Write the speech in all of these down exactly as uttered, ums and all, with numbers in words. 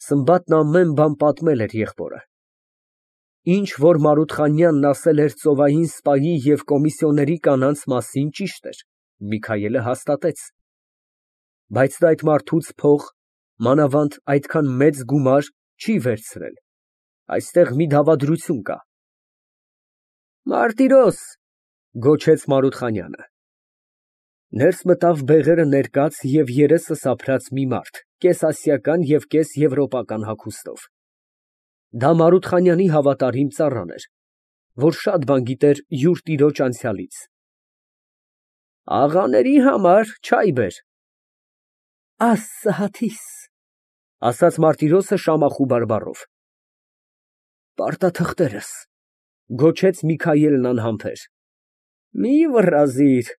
Սմբատն ամեն բան պատմել էր եղբորը։ Ինչ որ Մարութխանյանն ասել էր ծովային սպայի և կոմիսիոների կանանց մասին, ճիշտ էր, Միքայելը հաստատեց։ Բայց նա այդ մարդուց փող, մանավանդ այդքան մեծ գումար չի վերցրել, այստեղ մի դավադրություն կա։ Մարտիրոս, գոչեց Մարութխանյանը։ Ներս մտավ բեղերը ներկած և երեսը սափրած մի մարդ, կես֊ասիական և կես֊եվրոպական հագուստով։ Դա Մարութխանյանի հավատարիմ ծառան էր, որ շատ բան գիտեր յուր տիրոջ անցյալից։ Աղաների համար չայ բեր։ Աստղաթիս, ասաց Մարտիրոսը Շամախու բարբառով։ Պարտաթղթերս, գոչեց Միքայելն անհամբեր։ Մի վռազիր,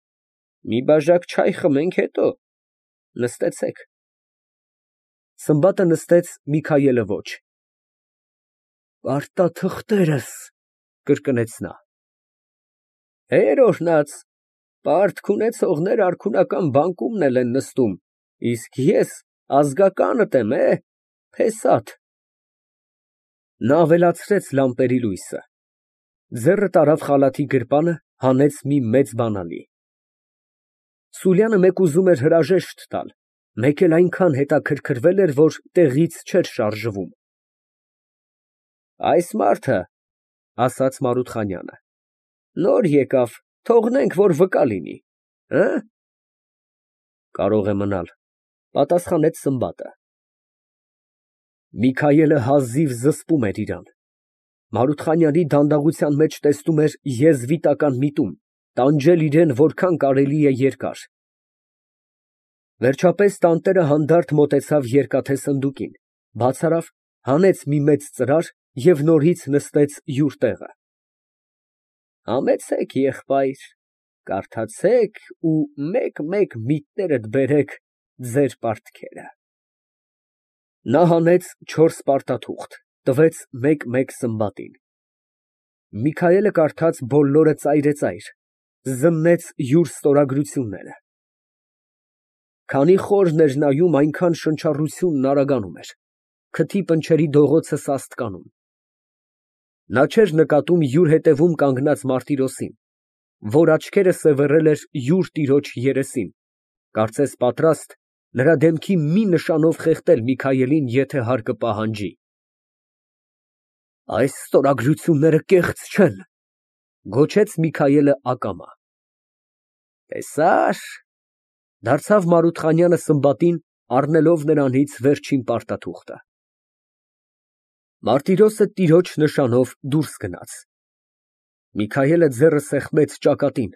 մի բաժակ չայ խմենք, հետո նստեցեք։ Սմբատը նստեց, Միքայելը ոչ։ Պարտաթղթերս, կրկնեց նա։ Հեր օրհնած, պարտք ունեցողներ արքունական բանկումն էլ են նստում, իսկ ես ազգականդ եմ, է, փեսաթ։ Նա ավելացրեց լամպերի լույսը, ձեռը տարավ խալաթի գրպանը, հանեց մի մեծ բանալի։ Սուրյանը մեկ ուզում էր հրաժեշտ տալ, մեկ էլ այնքան հետաքրքրվել էր, որ տեղից չէր շարժվում։ Այս մարդը, ասաց Մարութխանյանը, նոր եկավ, թողնենք, որ վկա լինի, հը։ Կարող է մնալ, պատասխանեց Սմբատը։ Միքայելը հազիվ զսպում էր իրան։ Մարութխանյանի դանդաղության մեջ տեսնում էր եզվիտական միտում, տանջել իրան որքան կարելի է երկար։ Վերջապես տանտերը հանդարտ մոտեցավ երկաթե սնդուկին, բաց արավ, հանեց մի մեծ ծրար և նորից նստեց յուր տեղը։ Համեցեք, եղբայր, կարդացեք ու մեկ֊մեկ միտներդ բերեք ձեր պարտքերը։ Նա հանեց չորս պարտաթուղթ, տվեց մեկ֊մեկ Սմբատին։ Միքայելը կարդաց բոլորը ծայրեծայր, զննեց յուր ստորագրությունները։ Քանի խորն էր նայում, այնքան շնչառությունն արագանում էր, քթի պնչերի դողոցը սաստկանում։ Նա չէր նկատում յուր հետևում կանգնած Մարտիրոսին, որ աչքերը սևեռել էր յուր տիրոջ երեսին, կարծես պատրաստ նրա դեմքի մի նշանով խեղդել Միքայելին, եթե հարկը պահանջի։ Այս ստորագրությունները կեղծ չեն, գոչեց Միքայելը ակամա։ Տեսա՞ր, դարձավ Մարութխանյանը Սմբատին, առնելով նրանից վերջին պարտաթուղթը։ Մարտիրոսը տիրոջ նշանով դուրս գնաց։ Միքայելը ձեռը սեղմեց ճակատին,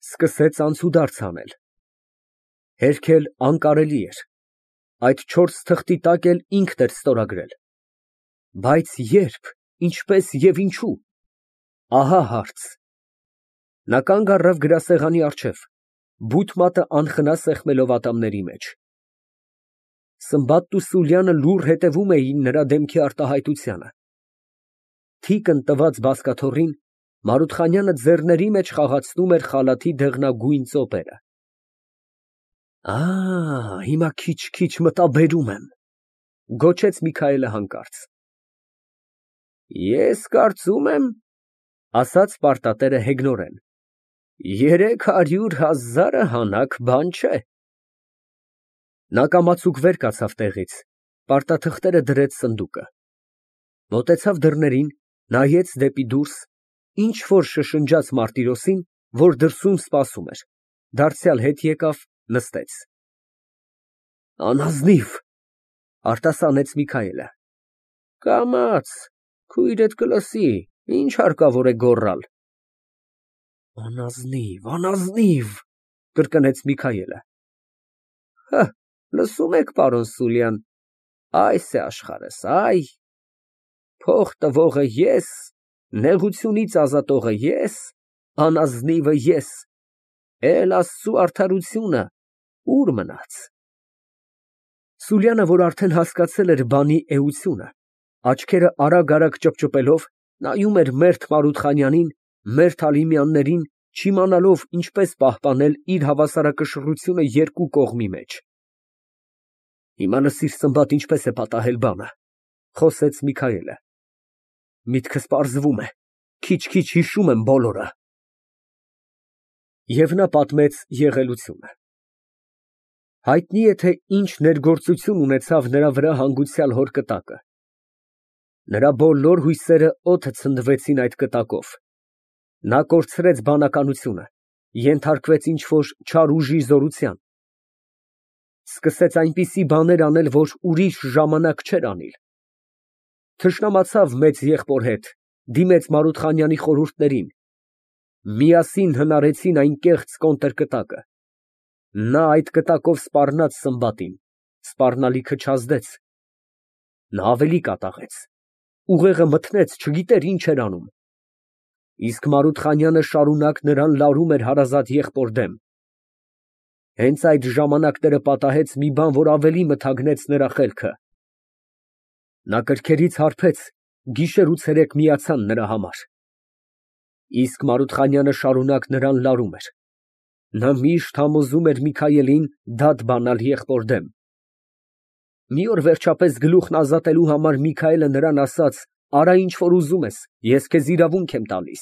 սկսեց անցուդարձ անել։ Հերքել անկարելի էր, այդ չորս թղթի տակ էլ ինքն էր ստորագրել։ Բայց ե՞րբ, ինչպես և ինչու։ Ահա հարց։ Նա կանգ առավ գրասեղանի առջև, բութ մատը անխնա սեղմելով ատամների մեջ։ Սմբատն ու Սուրյանը լուռ հետևում էին նրա դեմքի արտահայտությանը։ Թիկն տված բազկաթոռին Մարութխանյանը ձեռների մեջ խաղացնում էր խալաթի դեղնագույն ծոպերը։ Ա, հիմա քիչ֊քիչ մտաբերում եմ, գոչեց Միքայելը հանկարծ։ Ես կարծում եմ, ասաց պարտատերը հեգնորեն, երեք հարյուր հազարը հանակ բան չէ։ Նա կամացուկ վեր կացավ տեղից, պարտաթղթերը դրեց սնդուկը։ Մոտեցավ դռներին, նայեց դեպի դուրս, ինչ֊որ շշնջաց Մարտիրոսին, որ դրսում սպասում էր, դարձյալ հետ եկավ, նստեց։ Անազնիվ, արտասանեց Միքայելը։ Կամաց, քույրդ կլսի, ինչ հարկավոր է գոռալ։ Անազնիվ, անազնիվ, կրկնեց Միքայելը։ Հը, լսում եք, պարոն Սուրյան, այս է աշխարհս, այ, փող տվողը ես, նեղությունից ազատողը ես, անազնիվը ես, էլ Աստծու արդարությունը ուր մնաց։ Սուրյանը, որ արդեն հասկացել էր բանի էությունը, աչքերը արագ֊արագ ճպճպելով, նայում էր մերթ Մարութխանյանին, մերթ Ալիմյաններին, չիմանալով ինչպես պահպանել իր հավասարակշռությունը երկու կողմի մեջ։ Հիմա լսիր, Սմբատ, ինչպես է պատահել բանը։ Խոսեց Միքայելը։ Միտքս պարզվում է, քիչ֊քիչ հիշում եմ բոլորը։ Եվ նա պատմեց եղելությունը։ Հայտնի է, թե ինչ ներգործություն ունեցավ նրա վրա հանգուցյալ հոր կտակը։ Նրա բոլոր հույսերը օդը ցնդվեցին այդ կտակով։ Նա կորցրեց բանականությունը, ենթարկվեց ինչ֊որ չար ուժի զորության, սկսեց այնպիսի բաներ անել, որ ուրիշ ժամանակ չէր անիլ, թշնամացավ մեծ եղբոր հետ, դիմեց Մարութխանյանի խորհուրդներին, միասին հնարեցին այն կեղծ կոնտրկտակը, նա այդ կտակով սպառնաց Սմբատին, սպառնալիքը չազդեց, նա ավելի կատաղեց, ուղեղը մթնեց, չգիտեր ինչ էր անում, իսկ Մարութխանյանը շարունակ նրան լարում էր հարազատ եղբոր դեմ։ Հենց այդ ժամանակները պատահեց մի բան, որ ավելի մթագնեց նրա խելքը։ Նա կրքերից հարբեց, գիշեր ու ցերեկ միացան նրա համար։ Իսկ Մարութխանյանը շարունակ նրան լարում էր։ Նա միշտ համոզում էր Միքայելին դատ բանալ եղբոր դեմ։ Մի օր վերջապես գլուխն ազատելու համար Միքայելը նրան ասաց. «Արա ինչ որ ուզում ես, ես քեզ իրավունք եմ տալիս»։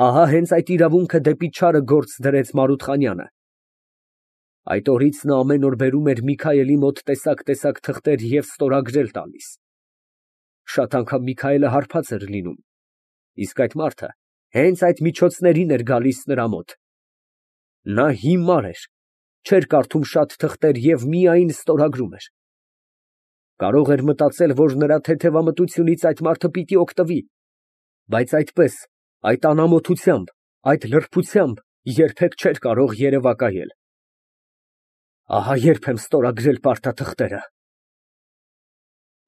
Ահա հենց այդ իրավունքը դեպի չարը գործ դրեց Մարութխանյանը։ Այդ օրից նա ամեն օր բերում էր Միքայելի մոտ տեսակ֊տեսակ թղթեր և ստորագրել տալիս։ Շատ անգամ Միքայելը հարբած էր լինում, իսկ այդ մարդը հենց այդ միջոցներին էր գալիս նրա մոտ։ Նա հիմար էր, չէր կարդում շատ թղթեր և միայն ստորագրում էր։ Կարող էր մտածել, որ նրա թեթևամտությունից այդ մարդը պիտի օգտվի, բայց այդպես, այդ անամոթությամբ, այդ լրբությամբ երբեք չէր կարող երևակայել։ Ահա երբ եմ ստորագրել պարտաթղթերը։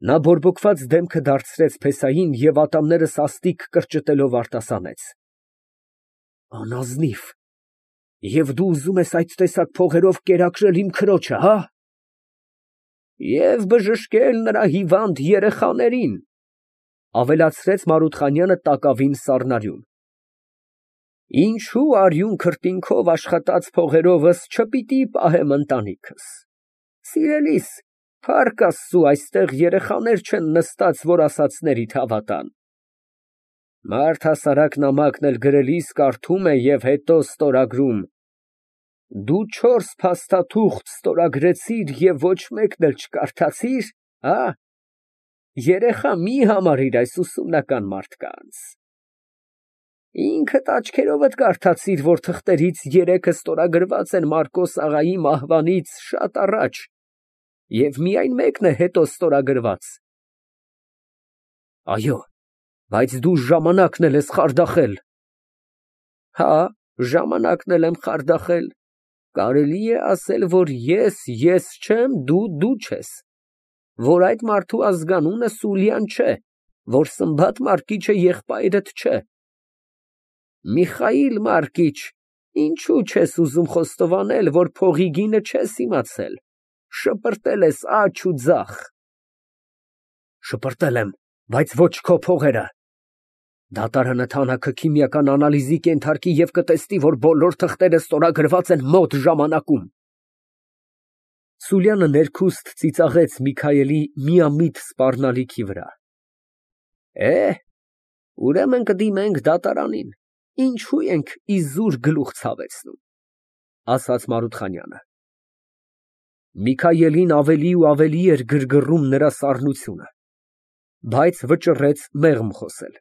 Նա բորբոքված դեմքը դարձրեց փեսային և ատամները սաստիկ կրճտելով արտասանեց. Անազնիվ, և դու ուզում ես այդ տեսակ փողերով կերակրել իմ քրոջը, հա՞։ Եվ բժշկել նրա հիվանդ երեխաներին, ավելացրեց Մարութխանյանը տակավին սառնարյուն։ Ինչու արյուն քրտինքով աշխատած փողերովս չպիտի պահեմ ընտանիքս։ Սիրելիս, փառք Աստծու, այստեղ երեխաներ չեն նստած, որ ասածներիդ հավատան։ Մարդհասարակ նամակն էլ գրելիս կարդում է և հետո ստորագրում։ Դու չորս փաստաթուղթ ստորագրեցիր և ոչ մեկն էլ չկարդացիր, հա՞։ Երեխա մի համարիր այս ուսումնական մարդկանց։ Ինքդ աչքերովդ կարդացիր, որ թղթերից երեքը ստորագրված են Մարկոս աղայի մահվանից շատ առաջ, և միայն մեկն է հետո ստորագրված։ Այո, բայց դու ժամանակն էլ ես խարդախել։ Հա, ժամանակն էլ եմ խարդախել։ Կարելի է ասել, որ ես ես չեմ, դու դու չես, որ այդ մարդու ազգանունը Սուլյան չէ, որ Սմբատ Մարկիչը եղբայրդ չէ։ Միխայիլ Մարկիչ, ինչու չես ուզում խոստովանել, որ փողի գինը չես իմացել, շպրտել ես աջ ու ձախ։ Շպրտել եմ, բայց ոչ քո փողերը։ Դատարանը թանաքը քիմիական անալիզի կենթարկի և կտեսնի, որ բոլոր թղթերը ստորագրված են մոտ ժամանակում։ Սուլյանը ներքուստ ծիծաղեց Միքայելի միամիտ սպառնալիքի վրա։ Է, ուրեմն կդիմենք դատարանին, ինչու ենք իզուր գլուխ ցավեցնում, ասաց Մարութխանյանը։ Միքայելին ավելի ու ավելի էր գրգռում նրա սառնությունը, բայց վճռեց մեղմ խոսել։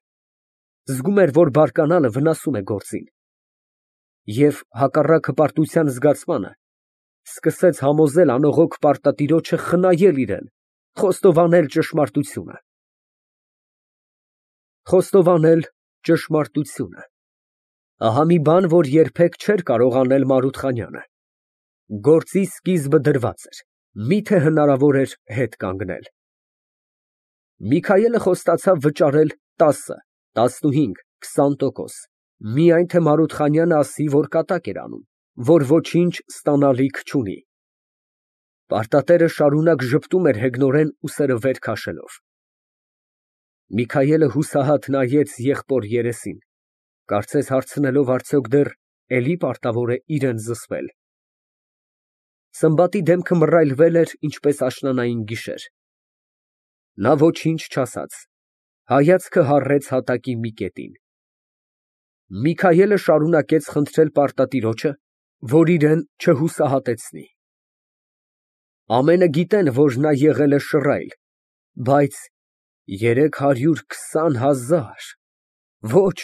Զգում էր, որ բարկանալը վնասում է գործին, և հակառակ հպարտության զգացմանը սկսեց համոզել անողոք պարտատիրոջը խնայել իրան, խոստովանել ճշմարտությունը։ Խոստովանել ճշմարտությունը։ Ահա մի բան, որ երբեք չէր կարող անել Մարութխանյանը։ Գործի սկիզբը դրված էր, միթե հնարավոր էր հետ կանգնել։ Միքայելը խոստացավ վճարել տասը, տասնհինգ, քսան տոկոս, միայն թե Մարութխանյանը ասի, որ կատակ էր անում, որ ոչինչ ստանալիք չունի։ Պարտատերը շարունակ ժպտում էր հեգնորեն ուսերը վեր քաշելով։ Միքայելը հուսահատ նայեց եղբոր երեսին, կարծես հարցնելով արդյոք դեռ էլի պարտավոր է իրան զսպել։ Սմբատի դեմքը մռայլվել էր, ինչպես աշնանային գիշեր։ Նա ոչինչ չասաց, հայացքը հառեց հատակի մի կետին։ Միքայելը շարունակեց խնդրել պարտատիրոջը, որ իրան չհուսահատեցնի։ Ամենը գիտեն, որ նա եղել է շռայլ, բայց երեք հարյուր քսան հազար… Ոչ,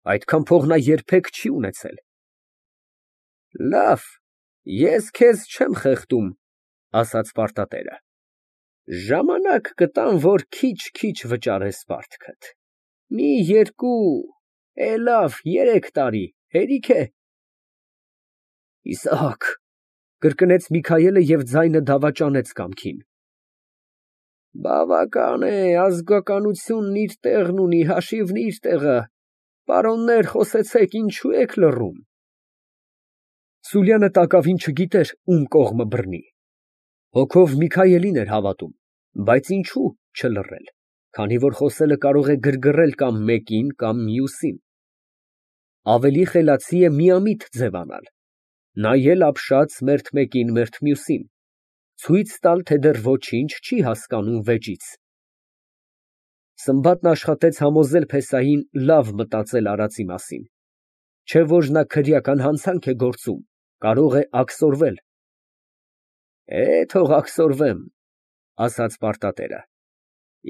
այդքան փող նա երբեք չի ունեցել։ Լավ, ես քեզ չեմ խեղդում, ասաց պարտատերը, ժամանակ կտամ, որ քիչ֊քիչ վճարես պարտքդ, մի երկու, է լավ, երեք տարի, հերիք է։ Իսահակ, կրկնեց Միքայելը և ձայնը դավաճանեց կամքին։ Բավական է, ազգականությունն իր տեղն ունի, հաշիվն իր տեղը, պարոններ, խոսեցեք, ինչու եք լռում։ Սուլյանը տակավին չգիտեր ում կողմը բռնի, հոգով Միքայելին էր հավատում, բայց ինչու չլռել, քանի որ խոսելը կարող է գրգռել կամ մեկին, կամ մյուսին։ Ավելի խելացի է միամիտ ձևանալ, նայել ապշած մերթ մեկին, մերթ մյուսին, ցույց տալ, թե դեռ ոչինչ չի հասկանում վեճից։ Սմբատն աշխատեց համոզել փեսային լավ մտածել արածի մասին, չէ որ նա քրեական հանցանք է գործում, կարող է աքսորվել։ Է, թող աքսորվեմ, ասաց պարտատերը,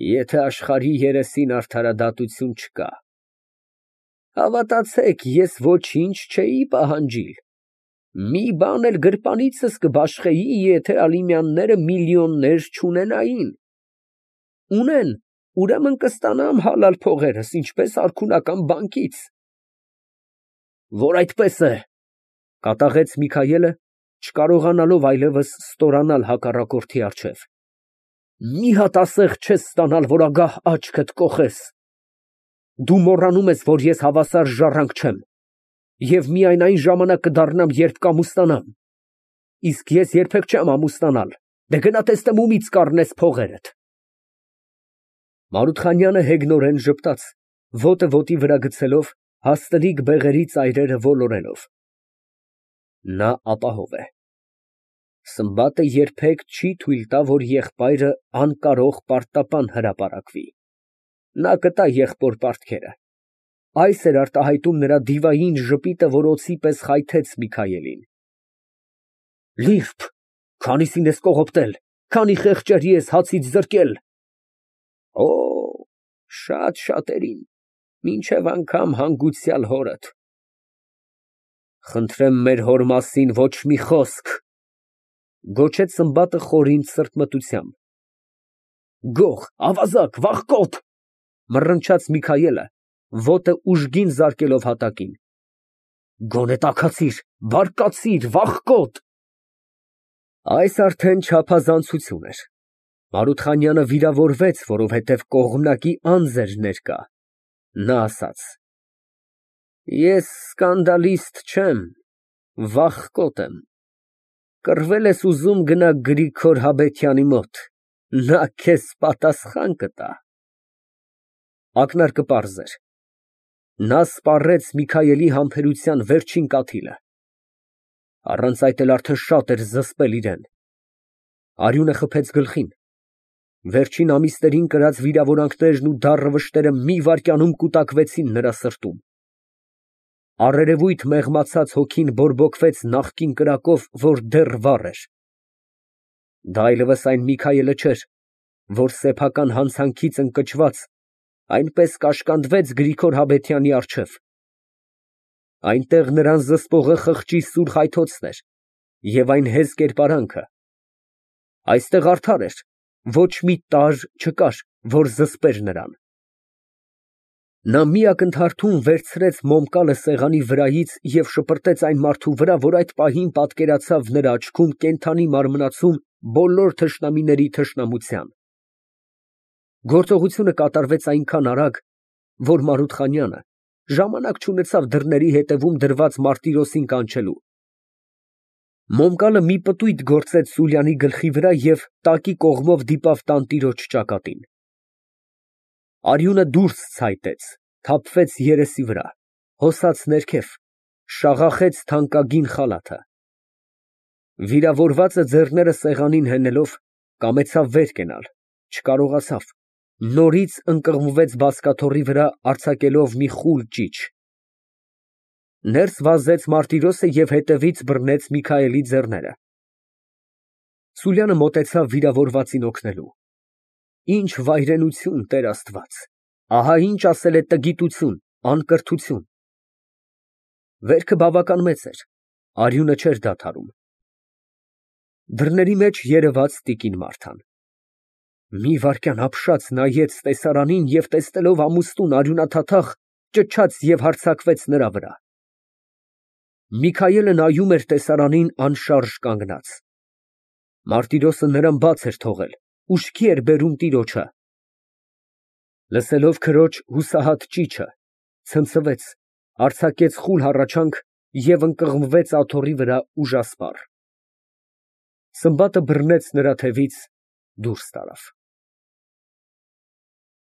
եթե աշխարհի երեսին արդարադատություն չկա։ Հավատացեք, ես ոչինչ չէի պահանջիլ, մի բան էլ գրպանիցս կբաշխեի, եթե Ալիմյանները միլիոններ չունենային։ Ունեն, ուրեմն կստանամ հալալ փողերս, ինչպես արքունական բանկից։ Որ այդպես է, կատաղեց Միքայելը, չկարողանալով այլևս ստորանալ հակառակորդի առջև։ Մի հատ ասեղ չես ստանալ, որ ագահ աչքդ կոխես։ Դու մոռանում ես, որ ես հավասար ժառանգ չեմ, և միայն այն ժամանակ կդառնամ, երբ կամուստանամ, իսկ ես երբեք չեմ ամուսնանալ, դե գնա տեսնեմ ումից կառնես փողերդ։ Մարութխանյանը հեգնորեն ժպտաց, ոտը ոտի վրա գցելով, հաստլիկ բեղերի ծայրերը ոլորելով։ Նա ապահով է։ Սմբատը երբեք չի թույլ տա, որ եղբայրը անկարող պարտապան հրապարակվի։ Նա կտա եղբոր պարտքերը։ Այս էր արտահայտում նրա դիվային ժպիտը, որ օձի պես խայթեց Միքայելին։ Լիրբ, քանիսին ես կողոպտել, քանի խեղճերի ես հացից զրկել։ Օ, շատ շատերին, մինչև անգամ հանգուցյալ հորդ։ Խնդրեմ մեր հոր մասին ոչ մի խոսք, գոչեց Սմբատը խորին սրտմտությամբ։ Գող, ավազակ, վախկոտ, մռնչաց Միքայելը, ոտը ուժգին զարկելով հատակին։ Գոնե տաքացիր, բարկացիր, վախկոտ։ Այս արդեն չափազանցություն էր։ Մարութխանյանը վիրավորվեց, որովհետև կողմնակի անձ էր ներկա։ Նա ասաց. Ես սկանդալիստ չեմ, վախկոտ եմ։ Կռվել ես ուզում, գնա Գրիգոր Հաբեթյանի մոտ, նա քեզ պատասխան կտա։ Ակնարկը պարզ էր։ Նա սպառեց Միքայելի համբերության վերջին կաթիլը։ Առանց այդ էլ արդեն շատ էր զսպել իրան։ Արյունը խփեց գլխին։ Վերջին ամիսներին կրած վիրավորանքներն ու դառը վշտերը մի վայրկյանում կուտակվեցին նրա սրտում։ Առերևույթ մեղմացած հոգին բորբոքվեց նախկին կրակով, որ դեռ վառ էր։ Դա այլևս այն Միքայելը չէր, որ սեփական հանցանքից ընկճված այնպես կաշկանդվեց Գրիգոր Հաբեթյանի առջև։ Այնտեղ նրան զսպողը խղճի սուր խայթոցն էր և այն հեզ կերպարանքը։ Այստեղ արդար էր, ոչ մի տարր չկար, որ զսպեր նրան։ Նա մի ակնթարթում վերցրեց մոմկալը սեղանի վրայից և շպրտեց այն մարդու վրա, որ այդ պահին պատկերացավ նրա աչքում կենդանի մարմնացում բոլոր թշնամիների թշնամության։ Գործողությունը կատարվեց այնքան արագ, որ Մարութխանյանը ժամանակ չունեցավ դռների ետևում դրված մարտիրոսին կանչելու։ Մոմկալը մի պտույտ գործեց Սուլյանի գլխի վրա և տակի կողմով դիպավ տանտիրոջ ճակատին։ Արյունը դուրս ցայտեց, թափվեց երեսի վրա, հոսաց ներքև, շաղախեց թանկագին խալաթը։ Վիրավորվածը ձեռները սեղանին հենելով, կամեցավ վեր կենալ, չկարողացավ, Նորից ընկղմվեց բազկաթոռի վրա, արձակելով մի խուլ ճիչ։ Ներս վազեց Մարտիրոսը և հետևից բռնեց Միքայելի ձեռները։ Սուրյանը մոտեցավ վիրավորվածին օգնելու։ Ինչ վայրենություն, Տեր Աստված, ահա ինչ ասել է տգիտություն, անկրթություն։ Վերքը բավական մեծ էր, արյունը չէր դադարում։ Դռների մեջ երևաց տիկին Մարթան։ Մի վայրկյան ապշած նայեց տեսարանին և տեսնելով ամուստուն արյունաթաթախ, ճչաց և հարձակվեց նրա վրա։ Միքայելը նայում էր տեսարանին անշարժ կանգնած։ Մարտիրոսը նրան բաց էր թողել, ուշքի էր բերում տիրոջը։ Լսելով քրոջ հուսահատ ճիչը, ցնցվեց, արձակեց խուլ հառաչանք և ընկղմվեց աթոռի վրա ուժասպառ։ Սմբատը բռնեց նրա թևից, դուրս տարավ։